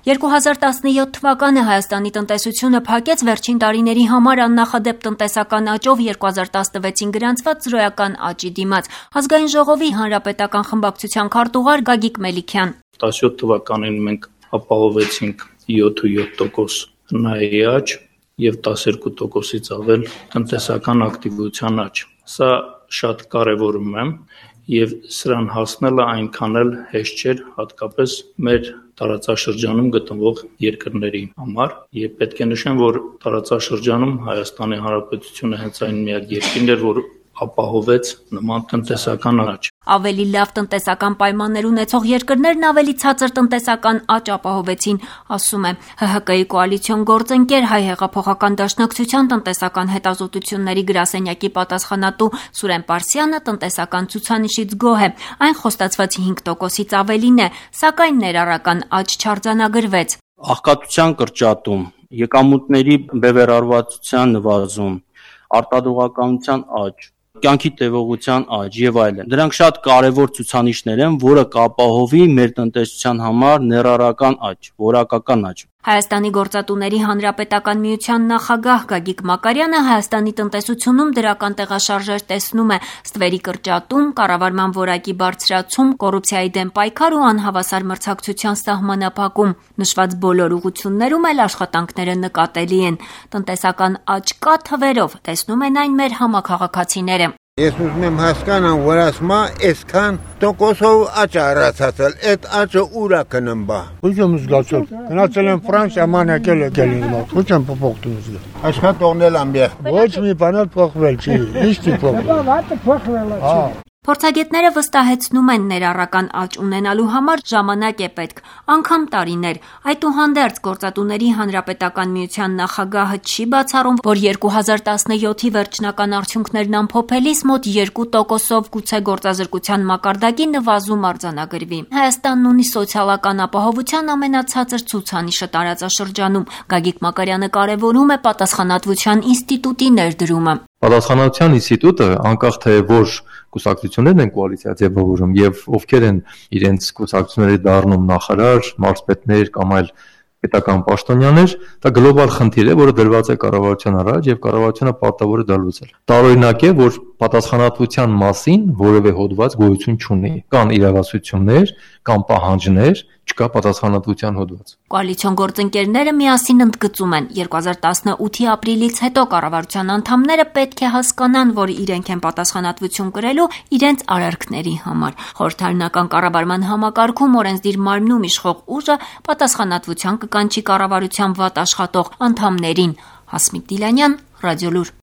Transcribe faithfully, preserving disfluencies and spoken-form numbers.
երկու հազար տասնյոթ թվականը Հայաստանի տնտեսությունը փակեց վերջին տարիների համար աննախադեպ տնտեսական աճով երկու հազար տասնվեցին գրանցված զրոյական աճի դիմաց։ Ազգային ժողովի հանրապետական խմբակցության քարտուղար Գագիկ Մելիքյան. տասնյոթ թվականին մենք ապահովեցինք յոթ տոկոս հնայի աճ և տասներկու տոկոսից ավել տնտեսական ակտիվության աճ։ Սա շատ կարևորում եմ և սրան հասնելը այնքան էլ հեշտ չէր, հատկապես մեր տարածաշրջանում գտնվող երկրների համար, և պետք է նշեմ, որ տարածաշրջանում Հայաստանի Հանրապետությունը հենց այն միակ երկիրն էր, որ ապահովեց նման տնտեսական աճ։ Ավելի լավ տնտեսական պայմաններ ունեցող երկրներն ավելի ցածր տնտեսական աճ ապահովեցին, ասում է Հ Հ Կ-ի կոալիցիոն գործընկեր Հայ հեղափոխական դաշնակցության տնտեսական հետազոտությունների գրասենյակի պատասխանատու Սուրեն Պարսյանը տնտեսական ցուցանիշից գոհ է։ Այն խոստացված հինգ տոկոսից ավելին է, սակայն ներառական աճ չարձանագրվեց։ Աղքատության կրճատում, եկամուտների բևեռարվածության նվազում, արտադրողականության աճ, կյանքի տևողության աճ և այլն։ Դրանք շատ կարևոր ցուցանիշներ են, որը կապահովի մեր տնտեսության համար ներառական աճ, որակական աճ։ Հայաստանի գործատուների հանրապետական միության նախագահ Գագիկ Մակարյանը Հայաստանի տնտեսությունում դրական տեղաշարժեր տեսնում է՝ ստվերի կրճատում, կառավարման որակի բարձրացում, կոռուպցիայի դեմ պայքար ու անհավասար մրցակցության սահմանափակում։ Նշված բոլոր ուղղություններում էլ աշխատանքները նկատելի են։ Տնտեսական աճ կա թվերով, տեսնում են այն մեր համաքաղաքացիները։ Ես ուզում եմ հասկանամ, որ ասма այսքան տոկոսով աճ առացածել, այդ աճը ուր է գնում բա։ Ոչ եմ զգացել, գնացել եմ Ֆրանսիա, մանեկել եկել ինձ մոտ, ոչ եմ փոխતું զգա։ Աշխատողնել ամբեր։ Ոչ մի բան էլ փոխվել չի, ինչի փոխվել։ Փորձագետները վստահեցնում են ներառական աճ ունենալու համար ժամանակ է պետք, անգամ տարիներ։ Այդուհանդերձ գործատուների հանրապետական միության նախագահը չի բացառում, որ երկու հազար տասնյոթի վերջնական արդյունքներն ամփոփելիս մոտ երկու տոկոսով գուցե գործազրկության մակարդակի նվազում արձանագրվի։ Հայաստանն ունի սոցիալական ապահովության ամենացածր ցուցանիշը տարածաշրջանում։ Գագիկ Մակարյանը կարևորում է պատասխանատվության ինստիտուտի ներդրումը։ Պատասխանատվության ինստիտուտը, անկախ թե որ կուսակցություններն են կոալիցիա ձևավորում եւ ովքեր են իրենց կուսակցությունների դառնում նախարար, մարզպետներ կամ այլ պետական պաշտոնյաներ, դա գլոբալ խնդիր է, որը դրված է կառավարության առաջ եւ կառավարությունը պարտավոր է դա լուծել։ Տարօրինակ է, որ պատասխանատվության մասին որևէ հոդված գոյություն չունի։ Կան իրավասություններ, կան պահանջներ, չկա պատասխանատվության հոդված։ Կոալիցիոն գործընկերները միասին ընդգծում են, երկու հազար տասնութի ապրիլից հետո կառավարության անդամները պետք է հասկանան, որ իրենք են պատասխանատվություն կրելու իրենց արարքների համար։ Խորհրդարանական կառավարման համակարգում օրենսդիր մարմնում իշխող ուժը պատասխանատվության կկանչի կառավարության վատ աշխատող անդամներին։ Հասմիկ Դիլանյան, Ռադիոլուր։